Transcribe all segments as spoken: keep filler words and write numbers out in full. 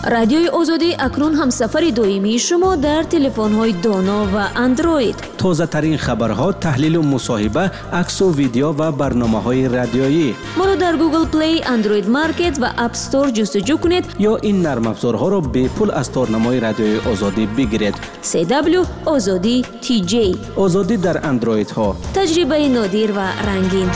Радиои Озодӣ акнун ҳамсафари доимии шумо дар телефонҳои доно ва Андроид. Тозатарин хабарҳо, таҳлилу мусоҳиба, аксу видео ва барномаҳои радиоӣ. Моро дар Google Play, Android Market ва App Store ҷустуҷӯ кунед ё ин нармафзорҳоро бепул аз торнамои Радиои Озодӣ бигиред. C W Озодӣ T J. Озодӣ дар андроидҳо. Таҷрибаи нодир ва рангин.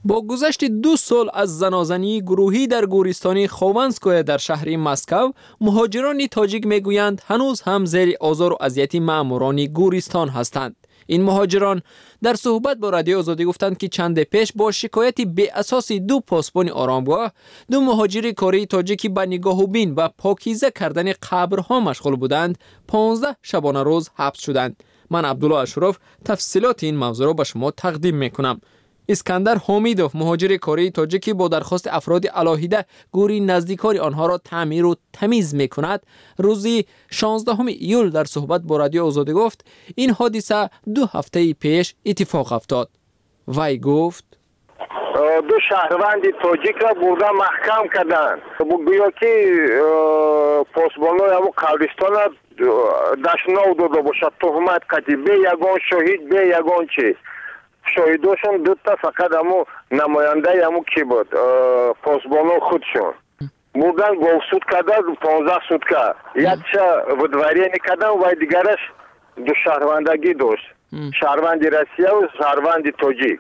Бо гузашти ду сол аз занозании гурӯҳӣ дар гӯристони Хованское дар шаҳри Москав, муҳоҷирони тоҷик мегӯянд, ҳанӯз ҳам зери озору азияти маъмурони гӯристон ҳастанд. Ин муҳоҷирон дар суҳбат бо Радиои Озодӣ гуфтанд, ки чанде пеш бо шикояти беасоси ду посбони оромгоҳ ду муҳоҷири кории тоҷик, ки ба нигоҳубин ва покиза кардани қабрҳо машғул буданд, понздаҳ шабонарӯз ҳабс шуданд. Ман, Абдулло Ашуров, тафсилоти ин мавзӯъро ба шумо тақдим мекунам. Искандар Ҳомидов, муҳоҷири кории тоҷикӣ, бо дархости афроди алоҳида гӯри наздикори онҳоро таъмиру тамиз мекунад, рӯзи шонздаҳуми июл дар суҳбат бо Радиои Озодӣ гуфт, ин ҳодиса ду ҳафтаи пеш иттифоқ афтод. Вай гуфт: Ду шаҳрванди тоҷикро бурда маҳкам карданд, гӯё ки посбонои ҳамун қабристона дашнов дода бошад, туҳмат қатӣ, бе ягон шоҳид, бе ягон чи. Шоҳидошон дута фақат ҳамун намояндаи ҳамун ки буд, посбоно худшон. Бурдан говсуд карда, понздаҳ сутка якча выдворение кардан. Вай дигараш ду шаҳрвандагӣ дошт, шаҳрванди Россияву шаҳрванди тоҷик.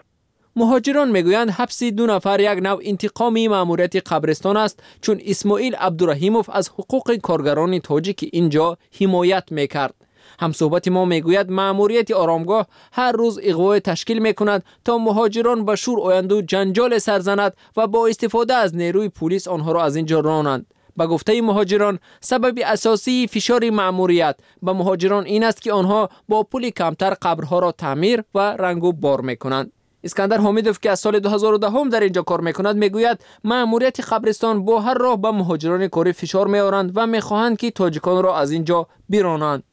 Муҳоҷирон мегӯянд, ҳабси ду нафар як навъ интиқоми маъмурияти қабристон аст, чун Исмоил Абдураҳимов аз ҳуқуқи коргарони тоҷики ин ҷо ҳимоят мекард. Ҳамсӯҳбати мо мегӯяд, маъмурияти оромгоҳ ҳар рӯз иғвое ташкил мекунад, то муҳоҷирон ба шӯр оянду ҷанҷоле сар занад ва бо истифода аз нерӯи пулис онҳоро аз ин ҷо ронанд. Ба гуфтаи муҳоҷирон, сабаби асосии фишори маъмурият ба муҳоҷирон ин аст, ки онҳо бо пули камтар қабрҳоро таъмир ва рангу бор мекунанд. Искандар Ҳомидов, ки аз соли ду ҳазору даҳум дар ин ҷо кор мекунад, мегӯяд, маъмурияти қабристон бо ҳар роҳ ба муҳоҷирони корӣ фишор меоранд ва мехоҳанд, ки тоҷиконро аз ин ҷо биронанд.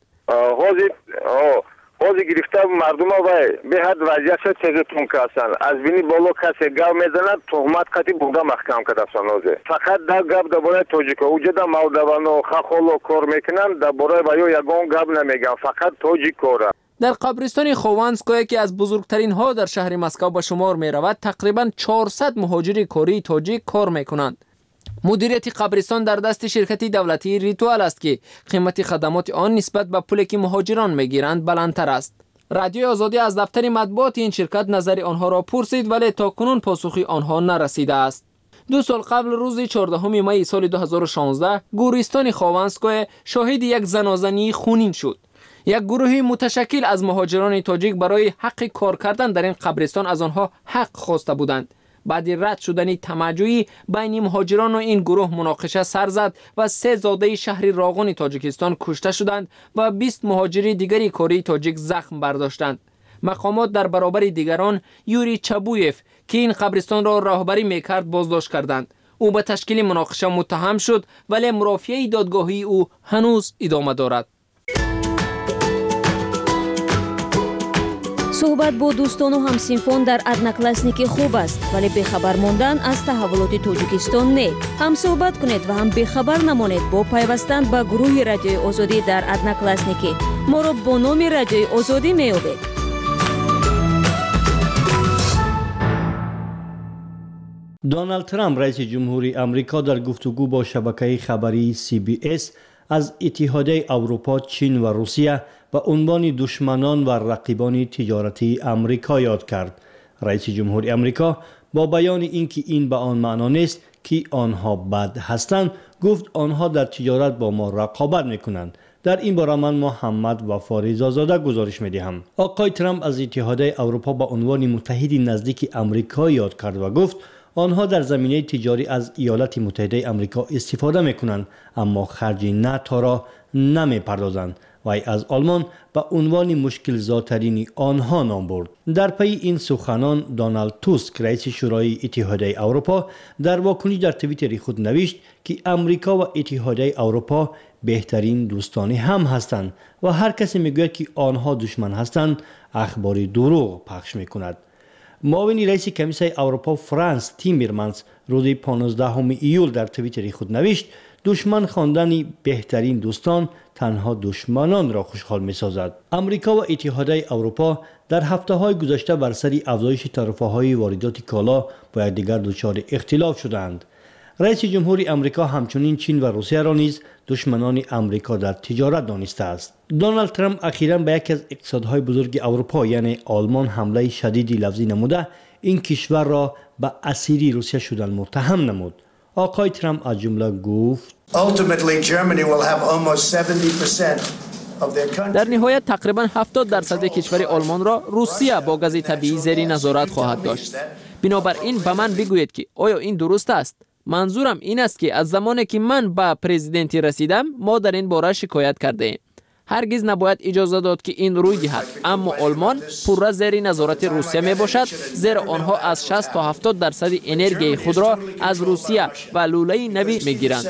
ҳозир ҳозир гирифта мардума, вай беҳад вазъиятша тезу тун карданд. Аз бини боло касе гап мезанад, туҳмат қати бурда маҳкам кардастан. Ҳозир фақат дар гап дар бораи тоҷико. Уҷада молдавано, хахоло кор мекунанд, дар бораи ваё ягон гап намегӯянд, фақат тоҷикора. Дар қабристони Хованское, ки аз бузургтаринҳо дар шаҳри Москав ба шумор меравад, тақрибан чорсад муҳоҷири кории тоҷик кор мекунанд. Мудирияти қабристон дар дасти ширкати давлатии Ритуал аст, ки қимати хадамоти он нисбат ба пуле, ки муҳоҷирон мегиранд, баландтар аст. Радиои Озодӣ аз дафтари матбуоти ин ширкат назари онҳоро пурсид, вале то кунун посухи онҳо нарасидааст. Ду сол қабл, рӯзи чордаҳуми майи соли ду ҳазору шонздаҳ, гӯристони Хованское шоҳиди як занозании хунин шуд. Як гурӯҳи муташаккил аз муҳоҷирони тоҷик барои ҳаққи кор кардан дар ин қабристон аз онҳо ҳақ хоста буданд. Баъди рад шудани тамаъҷӯӣ байни муҳоҷирону ин гурӯҳ муноқиша сар зад ва се зодаи шаҳри Роғуни Тоҷикистон кушта шуданд ва бист муҳоҷири дигари кории тоҷик захм бардоштанд. Мақомот дар баробари дигарон Юрий Чабуев, ки ин қабристонро роҳбарӣ мекард, боздошт карданд. Ӯ ба ташкили муноқиша муттаҳам шуд, вале мурофиаи додгоҳии ӯ ҳанӯз идома дорад. Суҳбат бо дӯстону ҳамсинфон дар Одноклассники хуб аст, вале бехабар мондан аз таҳаввулоти Тоҷикистон не. Ҳам суҳбат кунед ва ҳам бехабар намонед бо пайвастан ба гурӯҳи Радиои Озодӣ дар Одноклассники. Моро бо номи Радиои Озодӣ меёбед. Доналд Трамп, раиси ҷумҳури Амрико, дар гуфтугӯ бо шабакаи хабарии C B S аз Иттиҳодияи Аврупо, Чин ва Русия ба унвони душманон ва рақибони тиҷоратии Амрико ёд кард. Раиси ҷумҳури Амрико бо баёни ин ки ин ба он маъно нест, ки онҳо бад ҳастанд, гуфт, онҳо дар тиҷорат бо мо рақобат мекунанд. Дар ин бора ман, Муҳаммад Вафо Ризозода, гузориш медиҳам. Оқои Трамп аз Иттиҳодияи Аврупо ба унвони муттаҳиди наздики Амрико ёд кард ва гуфт, онҳо дар заминаи тиҷорӣ аз Иёлати Муттаҳидаи Амрико истифода мекунанд, аммо харҷи Наторо намепардозанд. Вай аз Олмон ба унвони мушкилзотарини онҳо ном бурд. Дар пайи ин суханон Доналд Туск, раиси Шӯрои Иттиҳодияи Аврупо, дар вокуниш дар Твиттери худ навишт, ки Амрико ва Иттиҳодияи Аврупо беҳтарин дӯстони ҳам ҳастанд ва ҳар касе мегӯяд, ки онҳо душман ҳастанд, ахбори дурӯғ пахш мекунад. معاون رئیس کمیسیون اروپا فرانس تیمرمنز روز پانزدهم ایول در توییتر خود نوشت: دشمن خواندن بهترین دوستان تنها دشمنان را خوشحال می سازد. امریکا و اتحادیه اروپا در هفته های گذشته بر سر افزایش تعرفه های واردات کالا با یکدیگر دچار اختلاف شدند. رئیس جمهور امریکا همچنین چین و روسیه را نیز دشمنان امریکا در تجارت دانسته است. دونالد ترامپ اخیراً به یکی از اقتصادهای بزرگ اروپا یعنی آلمان حمله شدیدی لفظی نموده این کشور را به اسیری روسیه شدن متهم نمود. آقای ترامپ از جمله گفت: در نهایت تقریبا هفتاد درصد کشور آلمان را روسیه با گاز طبیعی زیر نظارت خواهد داشت. بنابراین به من بگویید که آیا این درست است؟ منظورم این است که از زمانی که من به پرزیدنتی رسیدم ما در این باره شکایت کرده ایم. هرگز نباید اجازه داد که این روی دهد، اما آلمان پورا زیر نظارت روسیه می باشد، زیرا آنها از شصت تا هفتاد درصد انرژی خود را از روسیه و لوله نوی می گیرند.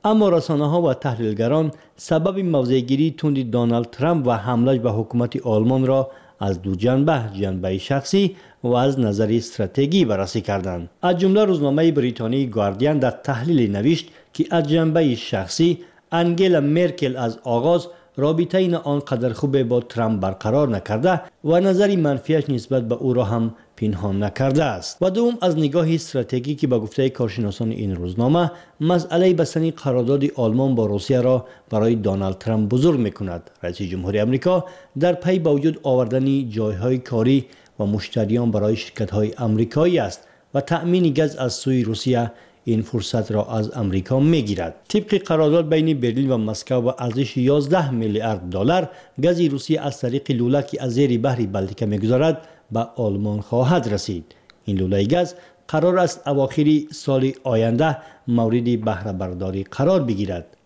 اما رسانه ها و تحلیلگران سبب موضع‌گیری تند دونالد ترامپ و حمله به حکومت آلمان را از دو جنبه، جنبه شخصی و از نظر استراتژی بررسی کردند. از جمله روزنامه بریتانیایی گاردین در تحلیل نوشت که از جنبه شخصی انگلا مرکل از آغاز رابطه نه آنقدر خوب با ترامپ برقرار نکرده و نظر منفیش نسبت به او را هم پنهان نکرده است. و دوم از نگاه استراتژیکی که به گفته کارشناسان این روزنامه مسئله بستن قرارداد آلمان با روسیه را برای دونالد ترامپ بزرگ میکند. رئیس جمهوری امریکا در پی با وجود آوردن جایهای کاری و مشتریان برای شرکت‌های امریکایی است و تأمین گاز از سوی روسیه این فرصت را از امریکا میگیرد. طبق قرارداد بین برلین و مسکو و ارزش یازده میلیارد دلار گاز روسیه از طریق لوله که از زیر بحر بالتیک میگذرد به آلمان خواهد رسید. این لوله گاز قرار است اواخر سال آینده مورد بهره برداری قرار بگیرد.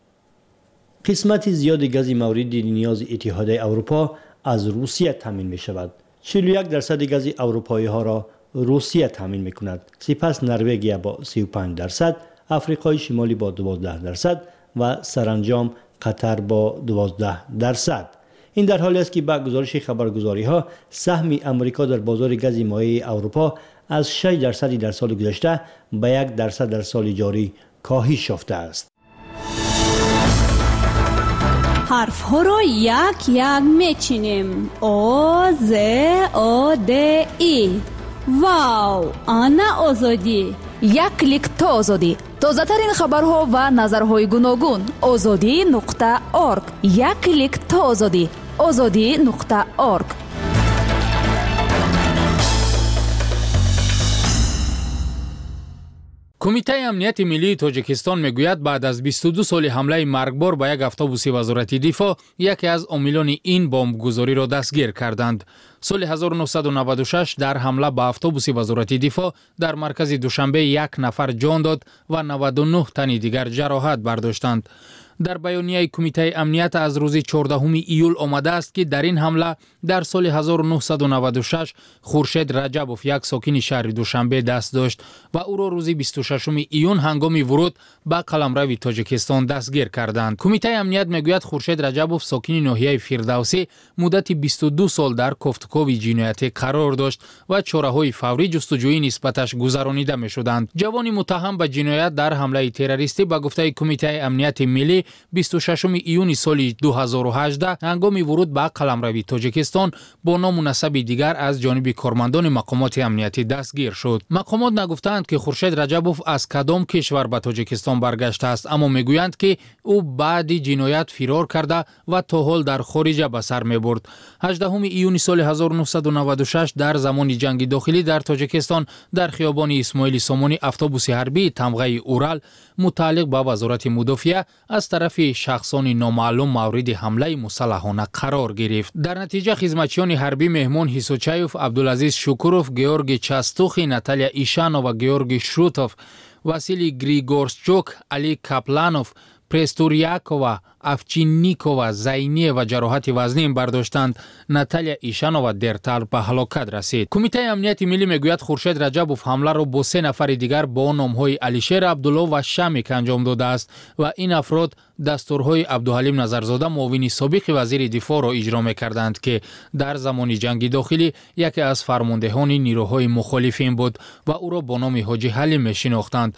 قسمت زیاد گاز مورد نیاز اتحادیه اروپا از روسیه تامین می شود. چهل و یک درصد گاز اروپایی ها را روسیه تامین می کند. سپس نروژ با سی و پنج درصد، افریقای شمالی با دوازده درصد و سرانجام قطر با دوازده درصد. این در حالی است که با گزارش خبرگزاری ها سهم امریکا در بازار گاز مایع اروپا از شش درصد در سال گذشته به یک درصد در سال جاری کاهش یافته است. حرف ها را یک یک میچینیم. او ز او د ای. واو، ана озодӣ. Як клик то озодӣ. Тозатарин хабарҳо ва назарҳои гуногун. Озодӣ нуқта орг. Як клик то озодӣ. Озодӣ нуқта орг. Кумитаи амнияти миллии Тоҷикистон мегӯяд баъд аз бисту ду соли ҳамлаи маргбор ба як автобуси вазорати дифоъ яке аз омилони ин бомбгузориро дастгир карданд. Соли ҳазору нӯҳсаду наваду шаш дар ҳамла ба автобуси вазорати дифоъ дар маркази Душанбе як нафар ҷон дод ва наваду нӯҳ тани дигар ҷароҳат бардоштанд. Дар баёнияи кумитаи амният аз рӯзи чордаҳуми июл омадааст, ки дар ин ҳамла дар соли ҳазору нӯҳсаду наваду шаш Хуршед Раҷабов, як сокини шаҳри Душанбе, даст дошт ва ӯро рӯзи бисту шашуми июн ҳангоми вуруд ба қаламрави Тоҷикистон дастгир карданд. Кумитаи амният мегӯяд Хуршед Раҷабов, сокини ноҳияи Фирдавсӣ, муддати бисту ду сол дар кофтукови ҷиноятӣ қарор дошт ва чораҳои фаврӣ ҷустуҷӯӣ нисбаташ гузаронида мешуданд. Ҷавони муттаҳам ба ҷиноят дар ҳамлаи террористӣ ба гуфтаи кумитаи амнияти миллӣ бисту шашуми июни соли ду ҳазору ҳаждаҳ ҳангоми вуруд ба қаламрави Тоҷикистон бо ному насаби дигар аз ҷониби кормандони мақомоти амниятӣ дастгир шуд. Мақомот нагуфтаанд, ки Хуршед Раҷабов аз кадом кишвар ба Тоҷикистон баргаштааст, аммо мегӯянд, ки ӯ баъди ҷиноят фирор карда ва то ҳол дар хориҷа ба сар мебурд. ҳаждаҳуми июни соли ҳазору нӯҳсаду наваду шаш дар замони ҷанги дохилӣ дар Тоҷикистон дар хиёбони Исмоили Сомонӣ автобуси ҳарбии тамғаи Урал мутааллиқ ба вазорати мудофиа аз тарафи шахсони номаълум мавриди ҳамлаи мусаллаҳона қарор гирифт. Дар натиҷа хизматчиёни ҳарбӣ Меҳмон Ҳисочаев, Абдулазиз Шукуров, Георгий Частухи, Наталья Ишанова, Георгий Шутов, Василий Григорчук, Али Капланов, Престурякова, Овчинникова, Зайнева ҷароҳати вазнин бардоштанд. Наталья Ишанова дертар ба ҳалокат расид. Кумитаи амнияти миллӣ мегӯяд Хуршед Раҷабов ҳамларо бо се нафари дигар бо номҳои Алишер Абдулло ва Шамик анҷом додааст ва ин афрод дастурҳои Абдуҳалим Назарзода, муовини собиқи вазири дифоъро иҷро мекарданд, ки дар замони ҷанги дохилӣ яке аз фармондеҳони нирӯҳои мухолифин буд ва ӯро бо номи Ҳоҷи Ҳалим мешинохтанд.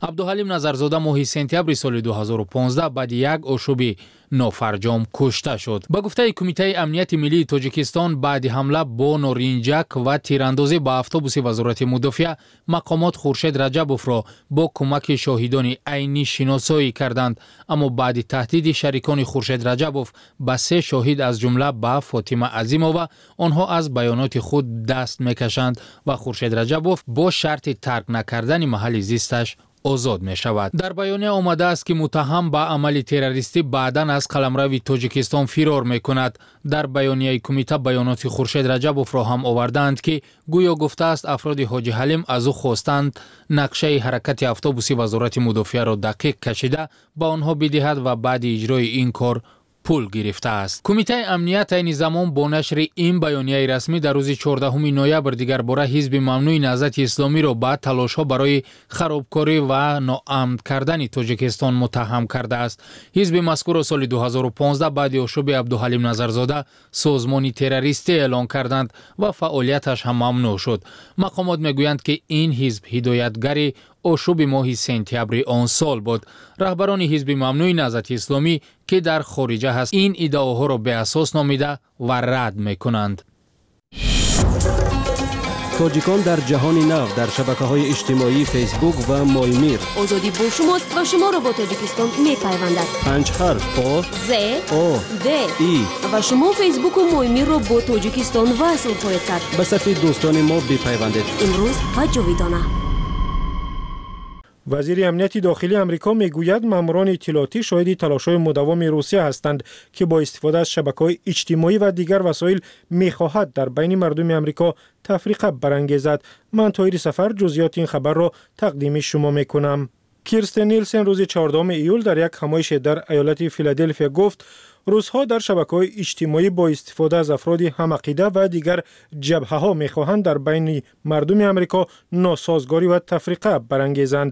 Абдуҳалим Назарзода моҳи сентябри соли ду ҳазору понздаҳ баъди як ошӯби нофарҷом кушта шуд. Ба гуфтаи Кумитаи амнияти миллии Тоҷикистон, баъди ҳамла бо норинҷак ва тирандозӣ ба автобуси Вазорати мудофиа, мақомот Хуршед Раҷабовро бо кӯмаки шоҳидони айнӣ шиносоӣ карданд. Аммо баъди таҳдиди шарикони Хуршед Раҷабов ба се шоҳид, аз ҷумла ба Фотима Азимова, онҳо аз баёноти худ даст мекашанд ва Хуршед Раҷабов бо шарти тарк накардани маҳалли зисташ озод мешавад. Дар баёния омадааст, ки муттаҳам ба амали террористӣ баъдан аз қаламрави Тоҷикистон фирор мекунад. Дар баёнияи кумита баёноти Хуршед Раҷабовро ҳам овардаанд, ки гӯё гуфтааст афроди Ҳоҷи Ҳалим аз ӯ хостанд нақшаи ҳаракати автобуси Вазорати мудофиаро дақиқ кашида ба онҳо бидиҳад ва баъди иҷрои ин кор пул гирифтааст. Кумитаи амният айни замон бо нашри ин баёнияи расмӣ дар рӯзи чордаҳуми ноябр дигарбора ҳизби мамнӯи Наҳзати Исломиро ба талошҳо барои харобкорӣ ва ноамн кардани Тоҷикистон муттаҳам кардааст. Ҳизби мазкурро соли ду ҳазору понздаҳ баъди ошӯби Абдуҳалим Назарзода созмони террористӣ эълон карданд ва фаъолияташ ҳам мамнӯъ шуд. Мақомот мегӯянд, ки ин ҳизб ҳидоятгари ошӯби моҳи сентябри он сол буд. Раҳбарони ҳизби мамнӯи Наҳзати Исломӣ, ки дар хориҷа ҳаст, ин иддаоҳоро беасос номида ва рад мекунанд. Тоҷикон дар ҷаҳони нав дар шабакаҳои иҷтимоии Фейсбук ва Моймир. Озодӣ бо шумост ва шуморо бо Тоҷикистон мепайвандад. Панҷ ҳарф О З О Д И ва шумо Фейсбуку Моймирро бо Тоҷикистон васл хоҳед кард. Ба сафи дӯстони мо бипайвандед. Имрӯз ва ҷовидона. Вазири амнияти дохилии Амрико мегӯяд, маъмурони иттилоотӣ шоҳиди талошҳои мудаввами Русия ҳастанд, ки бо истифода аз шабакаҳои иҷтимоӣ ва дигар васоил мехоҳад дар байни мардуми Амрико тафриқа барангезад. Ман Тоҳири Сафар ҷузъиёти ин хабарро тақдими шумо мекунам. Кирстен Нилсен рӯзи чордаҳуми июл дар як ҳамоише дар иёлати Филаделфия гуфт, русҳо дар шабакаҳои иҷтимоӣ бо истифода аз афроди ҳамақида ва дигар ҷабҳаҳо мехоҳанд дар байни мардуми Амрико носозгорӣ ва тафриқа барангезанд.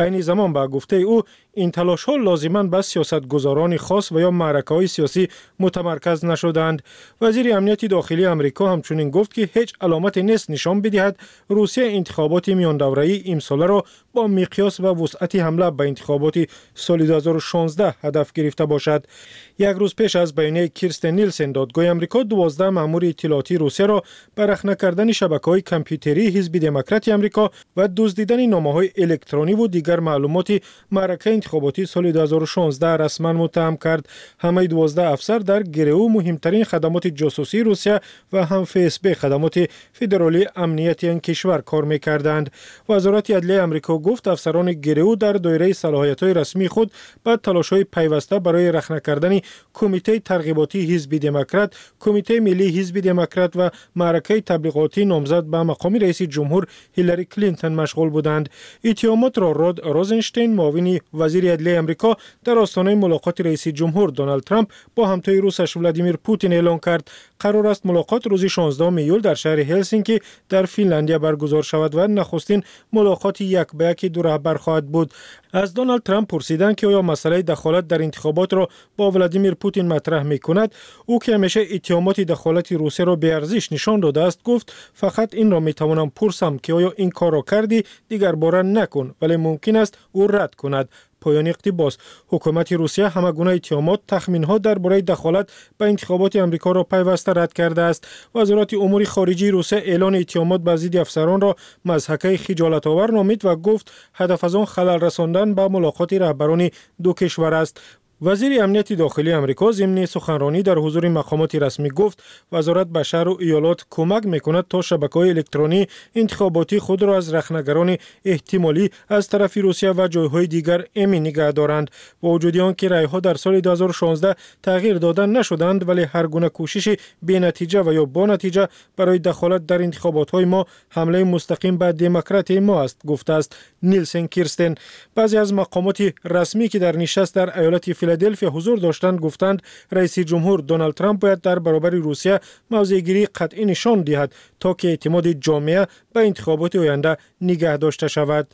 Айни замон ба гуфтаи ӯ ин талошҳо лозиман ба сиёсатгузорони хос ва ё маъракаҳои сиёсӣ мутамарказ нашуданд. Вазири амнияти дохилии Амрико ҳамчунин гуфт, ки ҳеҷ аломате нест нишон бидиҳад Русия интихоботи миёндавраии имсоларо бо миқёс ва вусъати ҳамла ба интихоботи соли ду ҳазору шонздаҳ ҳадаф гирифта бошад. Як рӯз пеш аз баёнияи Кирстен Нилсен додгоҳи Амрико дувоздаҳ маъмури иттилоотии Русияро ба рахна кардани шабакаҳои компютерии ҳизби демократии Амрико ва дуздидани номаҳои электрониву дигар маълумоти маъракаи интихоботии соли ду ҳазору шонздаҳ расман муттаҳам кард. Ҳамаи дувоздаҳ афсар дар ГРУ муҳимтарин хадамоти ҷосусии Русия ва ҳам ФСБ хадамоти федералии амнияти ин кишвар кор мекарданд. Вазорати адлияи Амрико гуфт, афсарони ГРУ дар доираи салоҳиятҳои расмии худ ба талошҳои пайваста барои рахна кардани Кумитаи тарғиботии ҳизби демократ, Кумитаи миллии ҳизби демократ ва маъракаи таблиғотии номзад ба мақоми раиси ҷумҳур Ҳиллари Клинтон машғул буданд. Иттиҳомотро Род Розенштейн, муовини вазири адлияи Амрико, дар остонаи мулоқоти раиси ҷумҳур Доналд Трамп бо ҳамтои русаш Владимир Путин эълон кард. Қарор аст мулоқот рӯзи шонздаҳуми июл дар шаҳри Ҳелсинки дар Финляндия баргузор шавад ва нахустин мулоқоти як ба яки ду раҳбар хоҳад буд. Аз Доналд Трамп пурсиданд, ки оё масъалаи дахолат дар интихоботро бо Владимир Путин матраҳ мекунад. Ӯ ки ҳамеша иттиҳомоти дахолати Русияро беарзиш нишон додааст, гуфт фақат инро метавонам пурсам, ки оё ин корро кардӣ, дигарбора накун, вале мумкин аст ӯ рад кунад. Поёни иқтибос. Ҳукумати Русия ҳама гуна иттиҳомот, тахминҳо дар бораи дахолат ба интихоботи Амрикоро пайваста рад кардааст. Вазорати умури хориҷии Русия эълони иттиҳомот ба зидди афсаронро мазҳакаи хиҷолатовар номид ва гуфт ҳадаф аз он халал расондан ба мулоқоти раҳбарони ду кишвар аст. Вазири амнияти дохилии Амрико зимни суханронӣ дар ҳузури мақомоти расмӣ гуфт, вазорат ба шаҳру иёлот кӯмак мекунад то шабакаҳои электронӣ интихоботии худро аз рахнагарони эҳтимолӣ аз тарафи Русия ва ҷойҳои дигар эмин нигаҳ доранд. Бо вуҷуди он ки райҳо дар соли ду ҳазору шонздаҳ тағйир дода нашуданд, вале ҳар гуна кӯшиши бенатиҷа ва ё бонатиҷа барои дахолат дар интихоботҳои мо ҳамлаи мустақим ба демократияи мо аст, гуфтааст Нилсен Кирстен. Баъзе аз мақомоти расмӣ, ки дар нишаст дар иёлати Филаделфия ҳузур доштанд, гуфтанд раиси ҷумҳур Доналд Трамп бояд дар баробари Русия мавзеъгирии қатъӣ нишон диҳад, то ки эътимоди ҷомеа ба интихоботи оянда нигаҳ дошта шавад.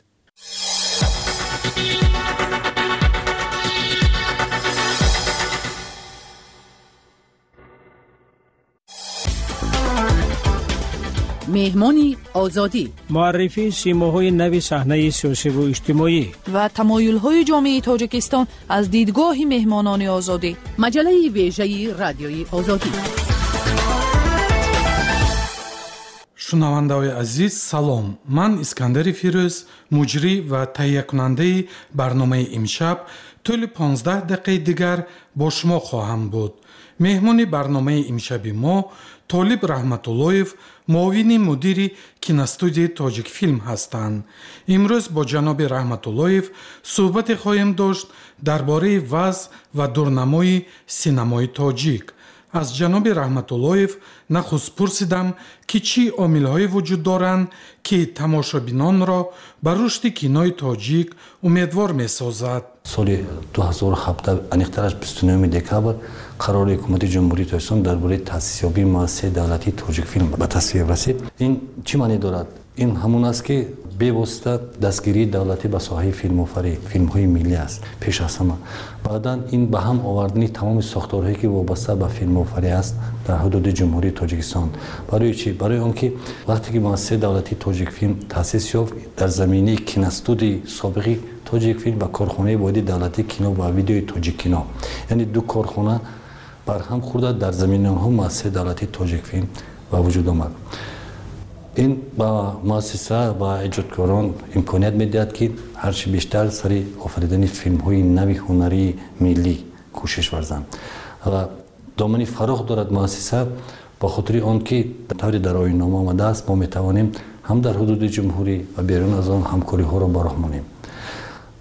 Меҳмони Озодӣ, муаррифии симоҳои нави саҳнаи сиёсиву иҷтимоӣ ва тамоюлҳои ҷомеаи Тоҷикистон аз дидгоҳи меҳмонони Озодӣ. Маҷаллаи вежаи Радиои Озодӣ. Шунавандаҳои азиз, салом. Ман Искандари Фирӯз, муҷрӣ ва таҳиякунандаи барномаи имшаб, тӯли понздаҳ дақиқаи дигар бо шумо хоҳам буд. Меҳмони барномаи имшаби мо Толиб Раҳматуллоев, муовини мудири киностудияи Тоҷикфилм ҳастанд. Имрӯз бо ҷаноби Раҳматуллоев суҳбате хоҳем дошт дар бораи вазъ ва дурнамои синамои тоҷик. Аз ҷаноби Раҳматуллоев нахуст пурсидам, ки чӣ омилҳое вуҷуд доранд, ки тамошобинонро ба рушди кинои тоҷик умедвор месозад. Соли ду ҳазору ҳабдаҳ, аниқтараш бисту нӯҳуми декабр, қарори Ҳукумати Ҷумҳурии Тоҷикистон дар бораи таъсисёбии муассисаи давлатии Тоҷикфилм ба тасвиб расид. Ин чӣ маъне дорад? Ин ҳамон аст, ки бевосита дастгирии давлатӣ ба соҳаи филмофарӣ, филмҳои миллӣ аст пеш аз ҳама. Баъдан ин ба ҳам овардани тамоми сохторҳое, ки вобаста ба филмофарӣ аст дар ҳудуди Ҷумҳурии Тоҷикистон. Барои чӣ? Барои он ки вақте ки муассисаи давлатии Тоҷикфилм таъсис ёфт, дар заминаи киностудияи собиқи Тоҷикфилм ва корхонаи воҳиди давлатии кино ва видеои Тоҷиккино, яъне ду корхона барҳам хӯрда, дар заминаи онҳо муассисаи давлатии Тоҷикфилм ба вуҷуд омад. Ин ба муассиса ва эҷодкорон имконият медиҳад, ки ҳарчи бештар сари офаридани филмҳои нави ҳунарии миллӣ кӯшиш варзанд. Ва домани фарох дорад муассиса, ба хотири он ки тавре дар оиннома омадааст, мо метавонем ҳам дар ҳудуди ҷумҳурӣ ва берун аз он ҳамкориҳоро ба роҳ монем.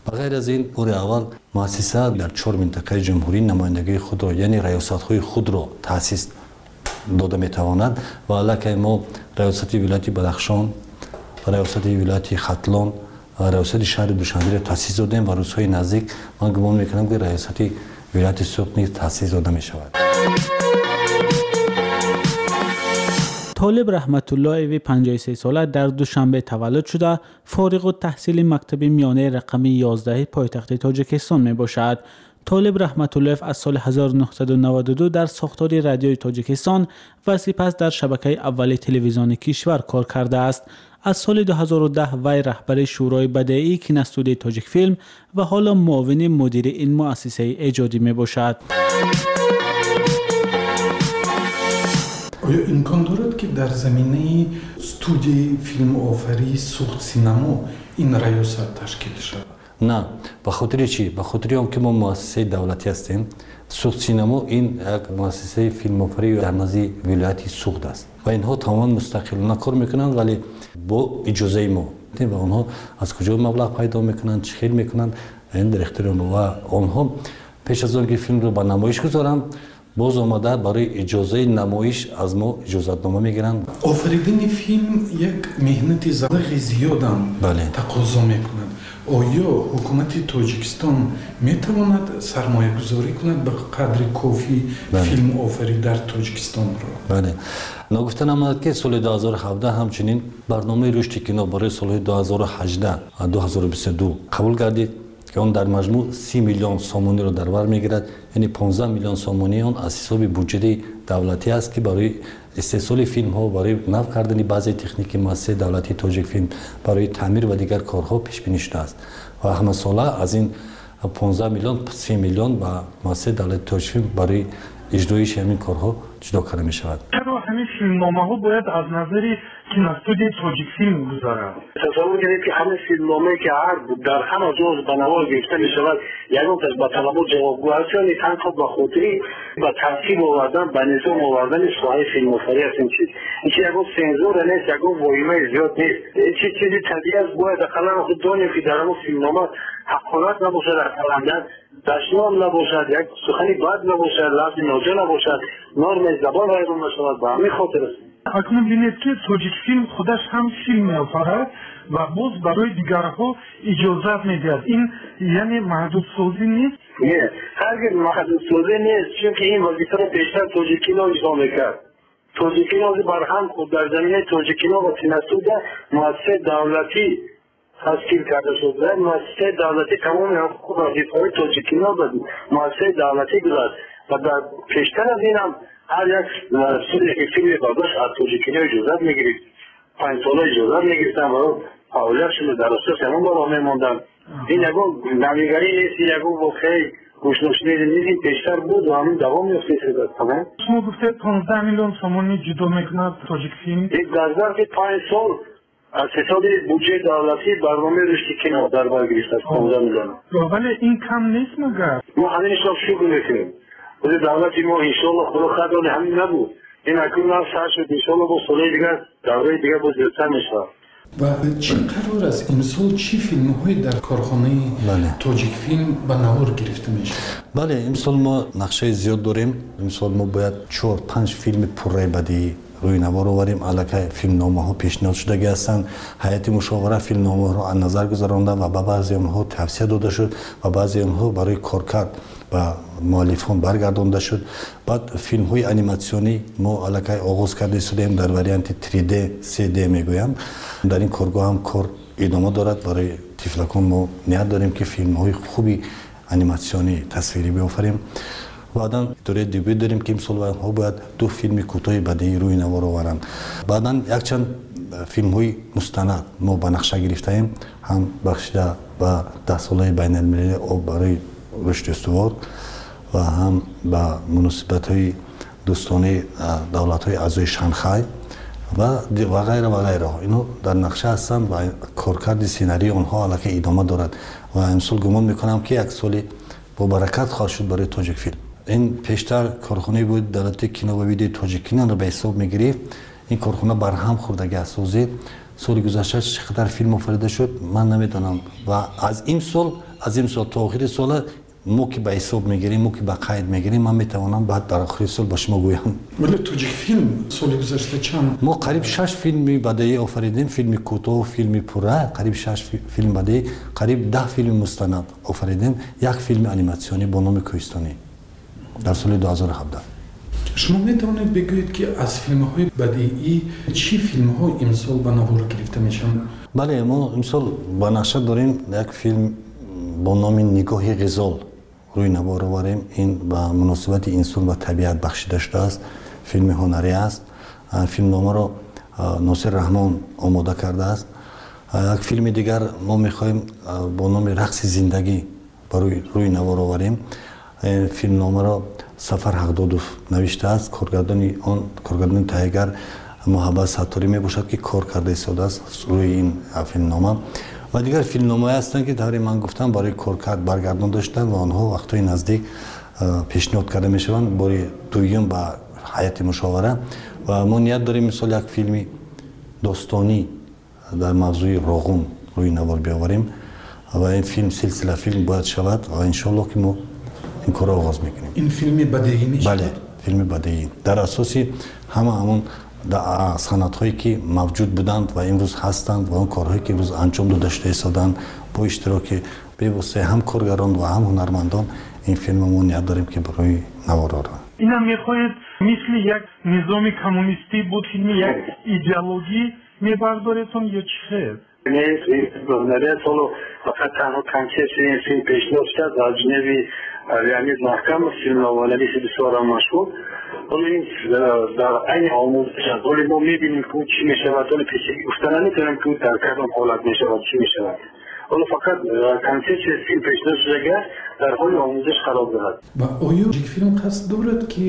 Ба ғайр аз ин, бори аввал муассиса дар чор минтақаи ҷумҳурӣ намояндагии худро, яъне раёсатҳои худро таъсис дода метавонад ва аллакай мо раёсати вилояти Бадахшон, раёсати вилояти Хатлон ва раёсати шаҳри Душанберо таъсис додем ва рӯзҳои наздик ман гумон мекунам, ки раёсати вилояти Суғд низ таъсис дода мешавад. Толиб Раҳматуллоеви панҷоҳу се сола дар Душанбе таваллуд шуда, фориғу таҳсили мактаби миёнаи рақами ёздаҳи пойтахти Тоҷикистон мебошад. Толиб Раҳматуллоев аз соли ҳазору нӯҳсаду наваду ду дар сохтори Радиои Тоҷикистон ва сипас дар шабакаи аввали телевизиони кишвар кор кардааст. Аз соли ду ҳазору даҳ вай раҳбари Шӯрои бадеии киностудияи Тоҷикфилм ва ҳоло муовини мудири ин муассисаи эҷодӣ мебошад. Оё имкон дорад, ки дар заминаи студияи филмофарии Суғд синамо ин раёсат ташкил шавад? На, ба хотири чӣ? Ба хотири он ки мо муассисаи давлатӣ ҳастем. Суғд синамо ин як муассисаи филмофарӣ дар назди вилояти Суғд аст ва инҳо тамоман мустақилона кор мекунанд, вале бо иҷозаи мо. Ва онҳо аз куҷо маблағ пайдо мекунанд, чӣ хел мекунанд, ин дар ихтиёри онҳо. Ва онҳо пеш аз он ки филмро ба намоиш гузоранд, боз омада барои иҷозаи намоиш аз мо иҷозатнома мегиранд. Офаридани филм як меҳнати залағи зиёдам тақозо мекунад. Оё ҳукумати Тоҷикистон метавонад сармоягузорӣ кунад ба қадри кофӣ филмофарӣ дар Тоҷикистонро? Бале. Ногуфта намонад, ки соли ду ҳазору ҳабдаҳ ҳамчунин барномаи рушди кино барои солҳои ду ҳазору ҳаждаҳ ва ду ҳазору бисту ду қабул гардид, ки он дар маҷмӯъ си миллион сомониро дар бар мегирад, яъне понздаҳ миллион сомонии он аз ҳисоби буҷети давлатӣ аст, ки барои истеҳсоли филмҳо, барои нав кардани баъзе техники муассисаи давлатии Тоҷикфилм, барои таъмир ва дигар корҳо пешбинӣ шудааст. Ва ҳамасола аз ин понздаҳ миллион се миллион ба муассисаи давлатии Тоҷикфилм барои иҷроиши ҳамин корҳо ҷудо карда мешавад. Чаро ҳамин филмномаҳо бояд аз назари киностудияи Тоҷикфилм гузаранд? Тасаввур кунед, ки ҳамин филмномае, ки ҳар дар ҳама ҷо ба навор гирифта мешавад, ягонташ ба талабот ҷавобгӯ аст ё не, танҳо ба хотири ба тартиб овардан, ба низом овардани соҳаи филмофарӣ аст. Ин чиз ин чи ягон сензура нест, ягон воҳимаи зиёд нест. Ин чи чизи табиӣ аст. Бояд ақаллан худ донем, ки дар ҳамон филмнома ҳақорат набошад, ақаллан дашном набошад, як сухани бад набошад, лафзи ноҷо набошад, нормаи забон вайрон нашавад. Ба ҳамин хотир аст. Акнун бинед, ки Тоҷикфилм худаш ҳам филм меофарад ва боз барои дигарҳо иҷозат медиҳад. Ин яъне маҳдудсозӣ нест? Не, ҳаргиз маҳдудсозӣ нест, чунки ин вазифаро бештар Тоҷиккино иҷро мекард. Тоҷиккино барҳам хӯрд. Дар заминаи Тоҷиккино ва киностудия муассисаи давлатӣ ташкил карда шуд. Муассисаи давлатӣ тамоми ҳуқуқу вазифаҳои Тоҷиккино ба муассисаи давлатӣ гузашт ва дар пештар аз ин ҳам ҳар як студия, ки филме бардошт, аз Тоҷиккино иҷозат мегирифт. Панҷ сола иҷозат мегирифтанд ва фаъолиятшонро дар асоси ҳамон ба роҳ мемонданд. Ин ягон навигарӣ нест, ин ягон воқеаи гӯшношунида нест, ин пештар буд ва ҳамин давом ёфта. Тамом. Шумо гуфтед понздаҳ миллион сомонӣ ҷудо мекунад Тоҷикфилм. Дар зарфи панҷ сол аз ҳисоби буҷаи давлатӣ барномаи рушди кино дар бар гирифтааст понздаҳ миллион. Вале ин кам нест магар? Мо ҳаминашро шукр мекунем. Худи давлати мо иншоаллоҳ худо қадр ҳамин набуд. Ин акнун нав сар шуд, иншоаллоҳ бо солҳои дигар, давраи дигар боз зиёдтар мешавад. Ва чӣ қарор аст имсол чӣ филмҳое дар корхонаи Тоҷикфилм ба навор гирифта мешавад? Бале, имсол мо нақшаи зиёд дорем. Имсол мо бояд чор панҷ филми пурраи бадиӣ рӯи навор оварем. Аллакай филмномаҳо пешниҳод шудагӣ ҳастанд. Ҳайати мушовара филмномаҳоро аз назар гузаронда ва ба баъзе онҳо тавсия дода шуд ва баъзе онҳо барои коркард ба муаллифон баргардонда шуд. Баъд филмҳои аниматсионӣ мо аллакай оғоз карда истодаем дар варианти три Д, се Д мегӯям. Дар ин коргоҳ ҳам кор идома дорад. Барои тифлакон мо ният дорем, ки филмҳои хуби аниматсионӣ тасвирӣ биёфарем. Баъдан идораи дебют дорем, ки имсол онҳо бояд ду филми кӯтоҳи бадиӣ рӯи навор оваранд. Баъдан якчанд филмҳои мустанад мо ба нақша гирифтаем, ҳам бахшида ба даҳсолаи байналмилалии об барои рушди устувор ва ҳам ба муносибатҳои дӯстонаи давлатҳои аъзои Шанхай ва ғайра ва ғайраҳо. Инҳо дар нақша ҳастанд ва коркарди сценарии онҳо аллакай идома дорад ва имсол гумон мекунам, ки як соли бобаракат хоҳад шуд барои Тоҷикфилм. Ин пештар корхонаи буд давлати кино ва видеои Тоҷиккиноро ба ҳисоб мегирифт. Ин корхона барҳам хӯрдагӣ асозӣ. Соли гузашта чӣ қадар филм офарида шуд, ман намедонам. Ва аз имсол, аз имсол то охири сола мо ки ба ҳисоб мегирем, мо ки ба қайд мегирем, ман метавонам баъд дар охири сол ба шумо гӯям. Вале Тоҷикфилм соли гузашта чанд? Мо қариб шаш филми бадеӣ офаридем, филми кӯтоҳ, филми пурра, қариб шаш филм бадеӣ, қариб даҳ филми мустанад офаридем, як филми аниматсионӣ бо номи Кӯҳистонӣ дар соли ду ҳазору ҳабдаҳ. Шумо метавонед бигӯед, ки аз филмҳои бадеӣ чӣ филмҳо имсол ба навор гирифта мешаванд? Бале, мо имсол ба нақша дорем як филм бо номи Нигоҳи ғизол рӯи навор оварем. Ин ба муносибати инсон ва табиат бахшида шудааст. Филми ҳунарӣ аст. Филмномаро Носир Раҳмон омода кардааст. Як филми дигар мо мехоҳем бо номи Рақси зиндагӣ барои рӯи навор оварем. Филмномаро Сафар Ҳақдодов навиштааст. Коргардони он, коргардони таҳиягар Муҳаббат Сатторӣ мебошад, ки кор карда истодааст рӯи ин филмнома. Ва дигар филмномаҳое ҳастанд, ки тавре ман гуфтам барои коркард баргардон доштанд ва онҳо вақтҳои наздик пешниҳод карда мешаванд бори дуюм ба ҳайати мушовара. Ва мо ният дорем мисол як филми достонӣ дар мавзӯи Роғун рӯи навор биёварем ва ин филм силсила филм бояд шавад ва иншоаллоҳ, ки мо ин корро оғоз мекунем. Ин филми бадеӣ мешавад? Бале, филми бадеӣ дар асоси ҳама ҳамон санадҳое, ки мавҷуд буданд ва имрӯз ҳастанд ва он корҳое, ки имрӯз анҷом дода шуда истоданд бо иштироки бевоситаи ҳам коргарон ва ҳам ҳунармандон, ин филмро мо ният дорем, ки барои навор орем. Инам мехоҳед мисли як низоми коммунистӣ буд, филми як идеологӣ мебардоредтон ё чӣ хел? Нест, ҳунария соло фақат танҳо консепсияи ин филм пешниҳод шуд аз ҷониби Леонид Маҳкамов, филмноманависи бисёрам машҳур. Ҳоло ин дар айни омӯзиш аст. Ҳоло мо мебинем, ки чӣ мешавад. Ҳоло пешакӣ гуфта наметавонем, ки дар кадом ҳолат мешавад, чӣ мешавад. Ҳоло фақат консепсияи филм пешниҳод шудагӣ аст, дар ҳоли омӯзиш қарор дорад. Ва оё Тоҷикфилм қасд дорад, ки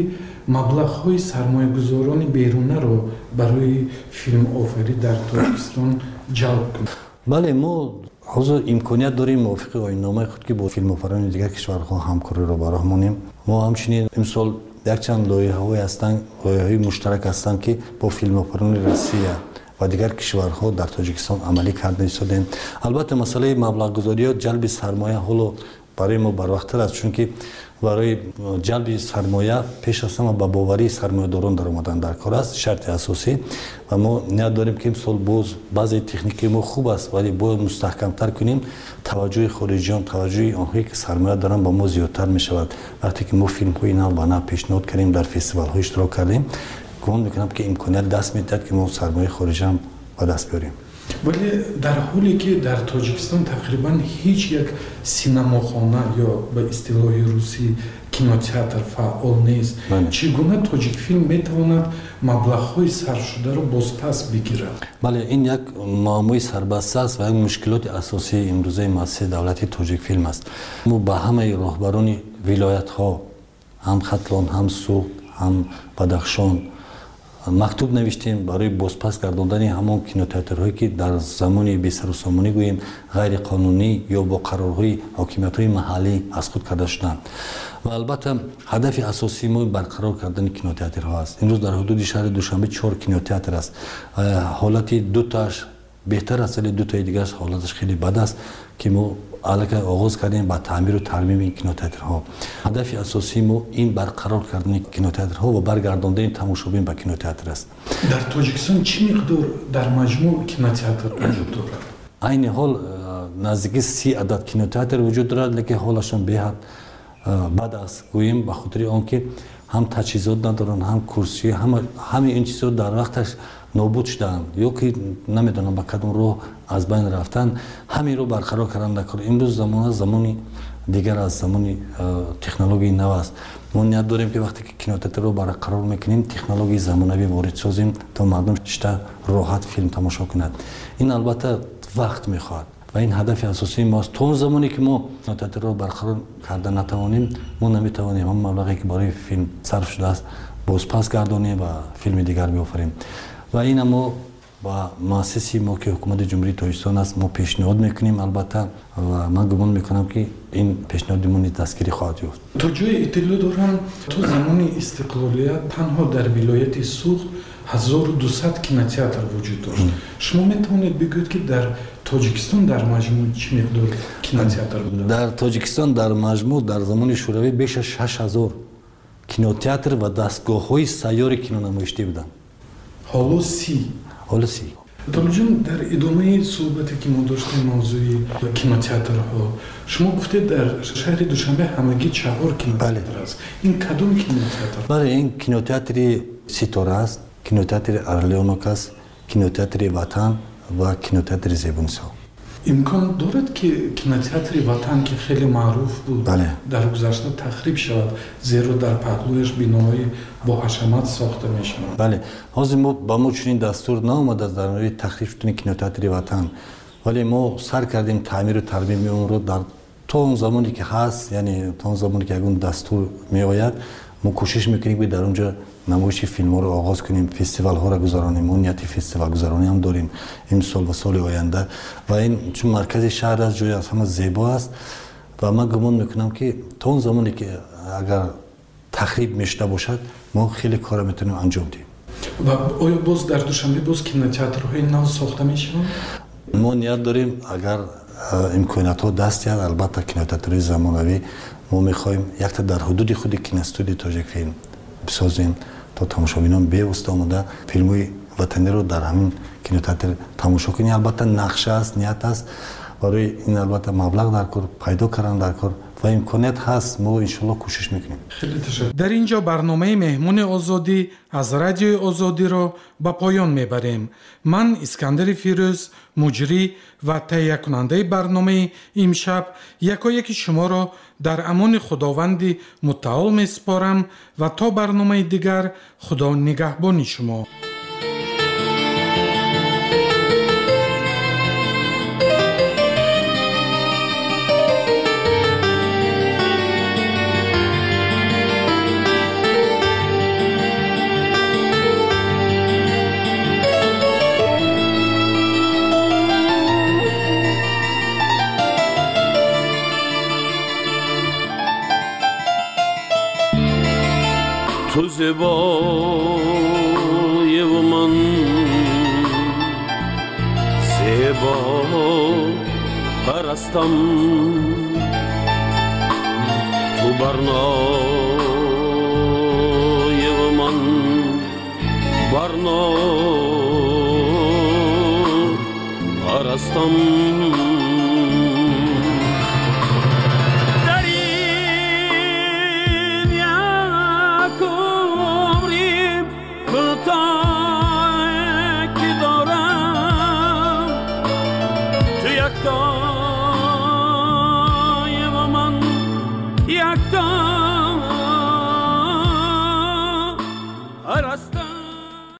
маблағҳои сармоягузорони берунаро барои филмофарӣ дар Тоҷикистон ҷалб кунад? Бале, мо ҳозир имконият дорем мувофиқи оинномаи худ, ки бо филмофарони дигар кишварҳо ҳамкориро ба роҳ монем. Мо ҳамчунин имсол якчанд лоиҳаҳое ҳастанд, лоиҳаҳои муштарак ҳастанд, ки бо филмофарони Россия ва дигар кишварҳо дар Тоҷикистон амалӣ карда истодем. Албатта, масъалаи маблағгузориё, ҷалби сармоя ҳоло барои мо барвақттар аст, чунки барои ҷалби сармоя пеш аз ҳама ба боварии сармоядорон даромадан дар кор аст, шарти асосӣ. Ва мо ният дорем, ки имсол боз баъзе техникаи мо хуб аст, вале бояд мустаҳкамтар кунем. Таваҷҷӯҳи хориҷиён, таваҷҷӯҳи онҳое, ки сармоя доранд, ба мо зиёдтар мешавад. Вақте ки мо филмҳои нав ба нав пешниҳод кардем, дар фестивалҳо иштирок кардем, гумон мекунам, ки имконият даст медиҳад, ки мо сармояи хориҷиам ба даст биёрем. Вале дар ҳоле ки дар Тоҷикистон тақрибан ҳеҷ як синамохона ё ба истилоҳи русӣ кинотеатр фаъол нест. Чӣ гуна Тоҷикфилм метавонад маблағҳои сарфшударо бозпас бигирад? Бале, ин як муаммои сарбаста аст ва як мушкилоти асосии имрӯзаи муассисаи давлатии Тоҷикфилм аст. Мо ба ҳамаи роҳбарони вилоятҳо, ҳам Хатлон, ҳам Суғд, ҳам Бадахшон мактуб навиштем барои бозпас гардондани ҳамон кинотеатрҳое ки дар замони бесарусомонӣ гӯем ғайриқонунӣ ё бо қарорҳои ҳокимиятҳои маҳаллӣ аз худ карда шуданд. Ва албатта ҳадафи асосии мо барқарор кардани кинотеатрҳо аст. Имрӯз дар ҳудуди шаҳри Душанбе чор кинотеатр аст. Ҳолати дутааш беҳтар аст, вале дутаи дигараш ҳолаташ хеле бад аст ки мо аллакай оғоз кардем ба таъмиру тармими кинотеатрҳо. Ҳадафи асосии мо ин барқарор кардани кинотеатрҳо ва баргардондани тамошобин ба кинотеатр аст. Дар Тоҷикистон чӣ миқдор дар маҷмӯъ кинотеатр вуҷуд дорад? Айни ҳол наздики си адад кинотеатр вуҷуд дорад, лекин ҳолашон беҳад бад аст, гӯем, ба хотири он ки ҳам таҷҳизот надоранд, ҳам курсӣ, ҳамаи ин чизҳо дар вақташ нобуд шудаанд ё ки намедонам ба кадом роҳ аз байн рафтанд. Ҳаминро барқарор кардан дар кор. Имрӯз замона замони дигар аст, замони технологияи нав аст. Мо ният дорем ки вақте ки кинотеатрро барқарор мекунем, технологияи замонавӣ ворид созем то мардум шита роҳат филм тамошо кунад. Ин албатта вақт мехоҳад ва ин ҳадафи асосии мост. То он замоне ки мо кинотеатрро барқарор карда натавонем, мо наметавонем ҳамон маблағе ки барои филм сарф шудааст бозпас гардонем ва филми дигар биофарем. Ва ина мо ба муассиси мо ки ҳукумати Ҷумҳурии Тоҷикистон аст, мо пешниҳод мекунем албатта, ва ман гумон мекунам ки ин пешниҳоди мо низ дастгирӣ хоҳад ёфт. То ҷое иттилоъ дорам, то замони истиқлолият танҳо дар вилояти Суғд ҳазору дусад кинотеатр вуҷуд дошт. Шумо метавонед бигӯед ки дар Тоҷикистон дар маҷмӯъ чӣ миқдор кинотеатр буда? Дар Тоҷикистон дар маҷмӯъ дар замони Шӯравӣ беш аз шаш ҳазор кинотеатр ва дастгоҳҳои сайёри кинонамоиштӣ буданд. Ҳоло си. Ҳоло си. Толибҷон, дар идомаи суҳбате ки мо доштем мавзӯи кинотеатрҳо, шумо гуфтед дар шаҳри Душанбе ҳамагӣ чаҳор кинотеатр аст. Ин кадом кинотеатр? Бале, ин кинотеатри Ситора аст, кинотеатри Орлёнок аст, кинотеатри Ватан ва кинотеатри Зебунисо. Имкон дорад ки кинотеатри Ватан, ки хеле маъруф буд, дар гузашта тахриб шавад, зеро дар паҳлӯяш биноҳои бо ҳашамат сохта мешаванд? Бале, ҳозир ба мо чунин дастур наомадааст дар мавриди тахриб шудани кинотеатри Ватан, вале мо сар кардем таъмиру тармими онро дар то он замоне ки ҳаст, яъне то он замоне ки ягон дастур меояд, мо кӯшиш мекунем ки дар он ҷо намоиши филмҳоро оғоз кунем, фестивалҳоро гузаронем. Мо нияти фестивалгузаронӣ ҳам дорем имсол ва соли оянда. Ва ин чун маркази шаҳр аст, ҷои аз ҳама зебо аст ва ман гумон мекунам ки то он замоне ки агар тахриб мешуда бошад, мо хеле корро метавонем анҷом диҳем. Ва оё боз дар Душанбе боз кинотеатрҳои нав сохта мешаванд? Мо ният дорем, агар имкониятҳо даст диҳад, албатта кинотеатрҳои замонавӣ мо мехоҳем якта дар ҳудуди худи киностудияи Тоҷикфилм бисозем то тамошобинон бевосита омода филмҳои ватаниро дар ҳамин кинотеатр тамошо кунем. Албатта нақша аст, ният аст, барои ин албатта маблағ дар кор пайдо кардан дар кор ва имконият ҳаст, мо иншоалло кӯшиш мекунем. Дар ин ҷо барномаи Меҳмони Озодӣ аз Радиои Озодиро ба поён мебарем. Ман Искандари Фирӯз, муҷрӣ ва таҳиякунандаи барномаи имшаб, якояки шуморо дар амони Худованди мутаол месупорам ва то барномаи дигар Худо нигаҳбони шумо. Ту зебоеву ман зебо парастам, ту барноеву ман барно парастам. Ки дорам ту якто